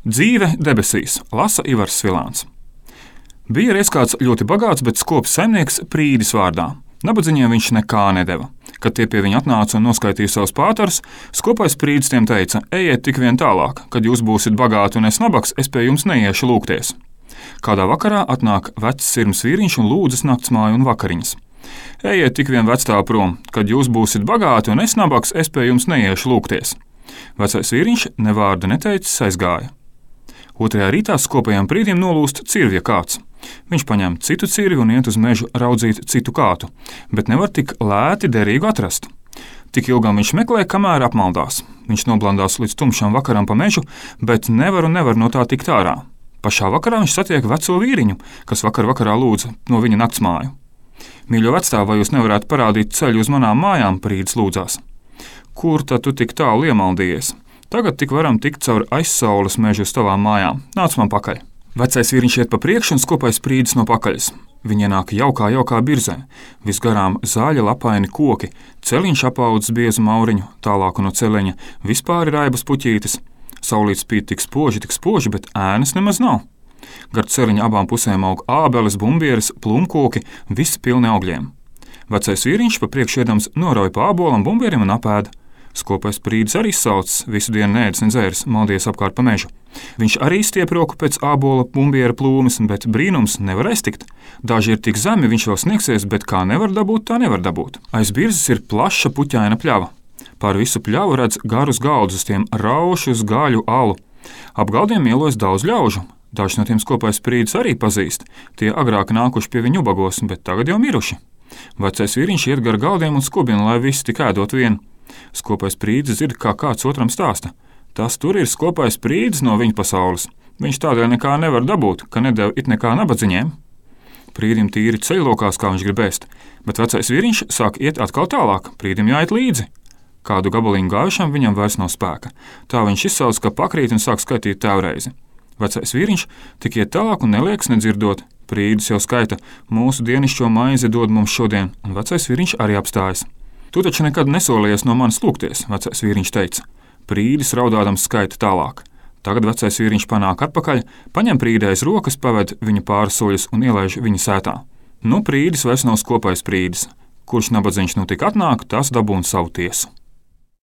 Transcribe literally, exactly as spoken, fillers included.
Dzīve debesīs, lasa Ivars Svilāns. Bija reiz kāds ļoti bagāts, bet skops saimnieks Prīdis vārdā. Nabadzīgiem viņš nekā nedeva. Kad tie pie viņa atnāca un noskaitīja savus pātarus, skopais Prīdis tiem teica: ejiet tik vien tālāk, kad jūs būsiet bagāti un es nabaks, es pie jums neiešu lūgties. Kādā vakarā atnāk vecs sirms vīriņš un lūdzas naktsmāju un vakariņas. Ejiet tik vien vecstāv prom, kad jūs būsiet bagāti un es nabaks, es pie jums neiešu lūgties. Vecais vīriņš ne vārdu neteicis aizgāja. Otrajā rītā skopajam Prīdim nolūst cirvja kāds. Viņš paņem citu cirvi un iet uz mežu raudzīt citu kātu, bet nevar tik lēti derīgu atrast. Tik ilgam viņš meklē, kamēr apmaldās. Viņš noblandās līdz tumšam vakaram pa mežu, bet nevar un nevar no tā tikt ārā. Pašā vakarā viņš satiek veco vīriņu, kas vakar vakarā lūdza no viņa naktsmāju. Mīļo vecstāv, vai jūs nevarētu parādīt ceļu uz manām mājām, Prīdis lūdzās. Kur tad tu tik tālu iemaldījies? Tagad tik varam tikt caur aizsaules mežu uz tavām mājām. Nāc man pakaļ. Vecais vīriņš iet pa priekšu un skopais Prīdis no pakaļas. Viņi ienāk jaukā, jaukā birzē. Visgarām zāļa lapaini koki, celiņš apaudzis biezu mauriņu, tālāku no celiņa vispār ir raibas puķītes. Saulīt spīd tik spoži, tik spoži, bet ēnas nemaz nav. Gar celiņa abām pusēm aug ābeles, bumbieres, plumkoki, visi pilni augļiem. Vecais vīriņš pa priekšu iedams norauj pa ābolam, bumbierim un apēda. Skopais Prīdis arī saucis, visu dienu neēdis, nedzēris, maldies apkārt pa mežu. Viņš arī stiep roku pēc ābola, bumbiera plūmes, bet brīnums nevar aiztikt. Daži ir tik zemi, viņš vēl sniegsies, bet kā nevar dabūt, tā nevar dabūt. Aiz birzes ir plaša puķaina pļava. Pār visu pļavu redz garus galdus, uz tiem raušus, gaļu, alu. Ap galdiem ielojas daudz ļaužu. Daži no tiem skopais Prīdis arī pazīst. Tie agrāk nākuši pie viņu ubagos, bet tagad jau miruši. Vecais vīriņš iet gar galdiem un skubina, lai visi tik ēdot vienu. Skopais Prīdis dzird, kā kāds otram stāsta. Tas tur ir skopais Prīdis no viņa pasaules. Viņš tādēļ nekā nevar dabūt, ka nedeva it nekā nabadzīgiem. Prīdim tīri ceļlokās, kā viņš grib ēst, bet vecais vīriņš sāk iet atkal tālāk, Prīdim jāiet līdzi. Kādu gabaliņu gājušam viņam vairs nav spēka. Tā viņš izsauc, ka pakrīt un sāk skaitīt tēvreizi. Vecais vīriņš tik iet tālāk un neliekas nedzirdot. Prīdis jau skaita: mūsu dienišķo maizi dod mums šodien, un vecais vīriņš arī apstājas. Tu taču nekad nesolījies no manis lūgties, vecais vīriņš teica. Prīdis raudādams skaita tālāk. Tagad vecais vīriņš panāk atpakaļ, paņem Prīdi aiz rokas, paved viņu pāris soļus un ielaiž viņa sētā. Nu, Prīdis vairs nav skopais Prīdis. Kurš nabadzīgs nu tik atnāk, tas dabūna savu tiesu.